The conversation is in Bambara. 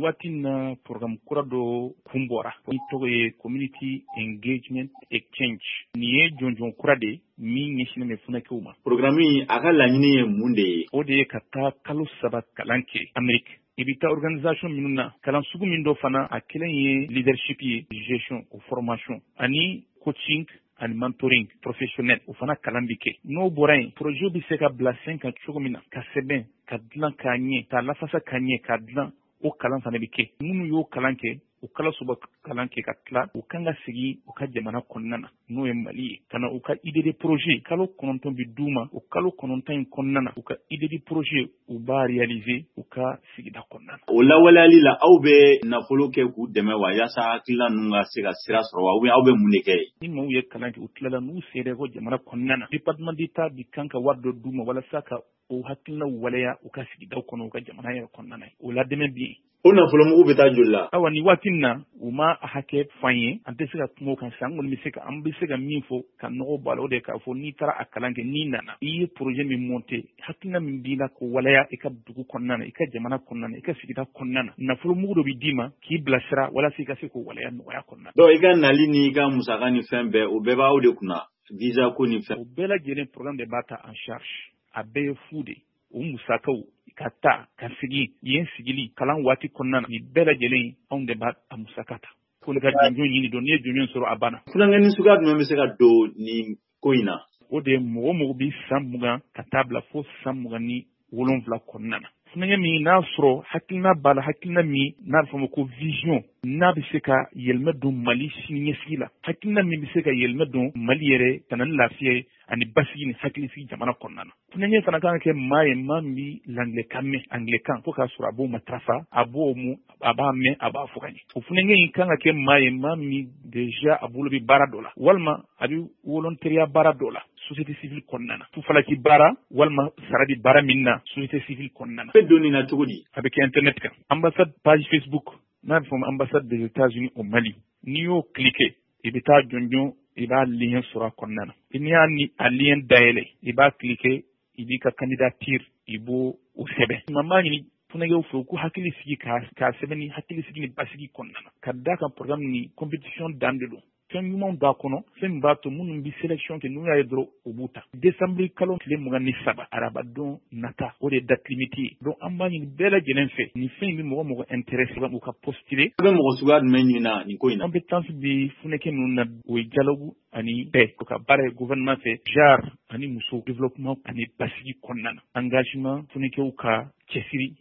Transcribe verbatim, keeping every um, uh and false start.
Waati na, programme kura dɔ kun bɔra ni tɔgɔ ye Community Engagement Exchange. Nin ye jɔnjɔn kura de min ɲɛsinnen bɛ funɛkɛw ma. Programme, a ka laɲini ye mun de ye? O de ye ka taa kalo saba kalan kɛ Amérique. I bɛ taa organisation minnu na, kalan sugu min dɔ fana, a kelen ye leadership ye, gestion o formation ani coaching ani mentoring professionnel, o fana kalan bi kɛ. N'o bɔra yen, projet bɛ se ka bila sen kan cogo min na, ka sɛbɛn ka dilan k'a ɲɛ, k'a lafasa ka ɲɛ, k'a dilan, o kalan fana bɛ kɛ. Minnu y'o kalan kɛ, o kalo saba kalan kɛ ka tila, u kan ka segin u ka jamana kɔnɔna na, n'o ye Mali ye, ka na u ka idée de projet. Kalo kɔnɔntɔn bi d'u ma. O kalo kɔnɔntɔn in kɔnɔna na, u ka idée de projet, u b'a réaliser u ka sigida kɔnɔna na. O lawaleyali la, aw bɛ nafolo kɛ k'u dɛmɛ wa, yaasa hakilina ninnu ka se ka sira sɔrɔ wa, ou bien aw bɛ mun de kɛ yen? Ni maaw ye kalan kɛ, u tilala, n'u sera ko jamana kɔnɔna na, Département d'État bi kan ka wari dɔ d'u ma walasa ka o hakilinaw waleya u ka sigidaw kɔnɔ, u ka jamana yɛrɛ kɔnɔna na. O la dɛmɛ bɛ yen. O nafolomugu bɛ taa joli la? Awa, nin waati in na, u ma a hakɛ f'an ye, an tɛ se ka kuma o kan sisan. An kɔni bɛ se ka an bɛ se ka min fɔ ka nɔgɔ bɔ a la, o de ye k'a fɔ n'i taara a kalan kɛ, n'i nana, i ye projet min monter, hakilina min b'i la k'o waleya i ka dugu kɔnɔna na, i ka jamana kɔnɔna na, i ka sigida kɔnɔna na, nafolomugu dɔ bɛ d'i ma k'i bilasira walasa i ka se k'o waleya nɔgɔya kɔnɔna na. Donc i ka nali n'i ka musaka ni fɛn bɛɛ, o bɛɛ b'aw de kunna, visa ko ni fɛn? O bɛɛ lajɛlen, programme de b'a ta en charge. A bɛɛ ye fu de. O musakaw, ka taa ka segin yen, sigili kalan waati kɔnɔna na, nin bɛɛ lajɛlen, anw de b'a a musaka ta. Ko ne ka jɔnjɔn ɲini dɔn, n'i ye jɔnjɔn sɔrɔ, a banna. Funankɛnin suguya jumɛn bɛ se ka don nin ko in na? O de ye mɔgɔ mɔgɔ bi san mugan ka taa bila fo san mugan ni wolonwula kɔnɔna na. Funankɛ min n'a sɔrɔ hakilina b'a la, hakilina min n'a bɛ fɔ ma ko vision, n'a bɛ se ka yɛlɛmɛ don Mali siniɲɛsigi la, hakilina min bɛ se ka yɛlɛmɛ don Mali yɛrɛ, ka na ni lafiya ye ani basigi ni hakilisigi jamana kɔnɔna na. Funankɛ fana kan ka kɛ maa ye, maa min bɛ l'anglais mɛn, anglais kan, fo k'a sɔrɔ a b'o matarafa, a b'o mu, a b'a mɛn, a b'a fɔ ka ɲɛ. O funankɛ in kan ka kɛ maa ye, maa min déjà a bolo bɛ baara dɔ la, walima a bɛ volontariat baara dɔ la société civile kɔnɔna na, fufalaki baara walima sara bɛ baara min na société civile kɔnɔna na. Bɛ don nin na cogo di? A bɛ kɛ internet kan, ambassade page Facebook n'a bɛ fɔ ma Ambassade des États-Unis au Mali. N'i y'o cliquer, i bɛ taa jɔnjɔn, i b'a lien sɔrɔ a kɔnɔna na. N'i y'a ni a lien dayɛlɛ, i b'a cliquer, i b'i ka candidature, i b'o o sɛbɛn. Maa b'a ɲini funankɛw fɛ, u k'u hakili sigi k'a k'a sɛbɛn ni hakili sigi ni basigi kɔnɔna na, ka d'a kan programme ni compétition dan de don. Fɛn ɲumanw b'a kɔnɔ, fɛn min b'a to minnu bɛ sélection kɛ, n'u y'a ye dɔrɔn, u b'u ta. Décembre kalo tile mugan ni saba, arabadon nata, o de ye date limite ye. Donc an b'a ɲini bɛɛ lajɛlen fɛ, nin fɛn in bɛ mɔgɔ mɔgɔ intéressé, u ka postuler. A bɛ mɔgɔ suguya jumɛn ɲini na nin ko in na? Compétence bɛ funɛkɛ ninnu na, o ye dialogue ani paix, o ka baara ye gouvernement fɛ, genre ani muso, développement ani basigi kɔnɔna na, engagement, funɛkɛw ka cɛsiri.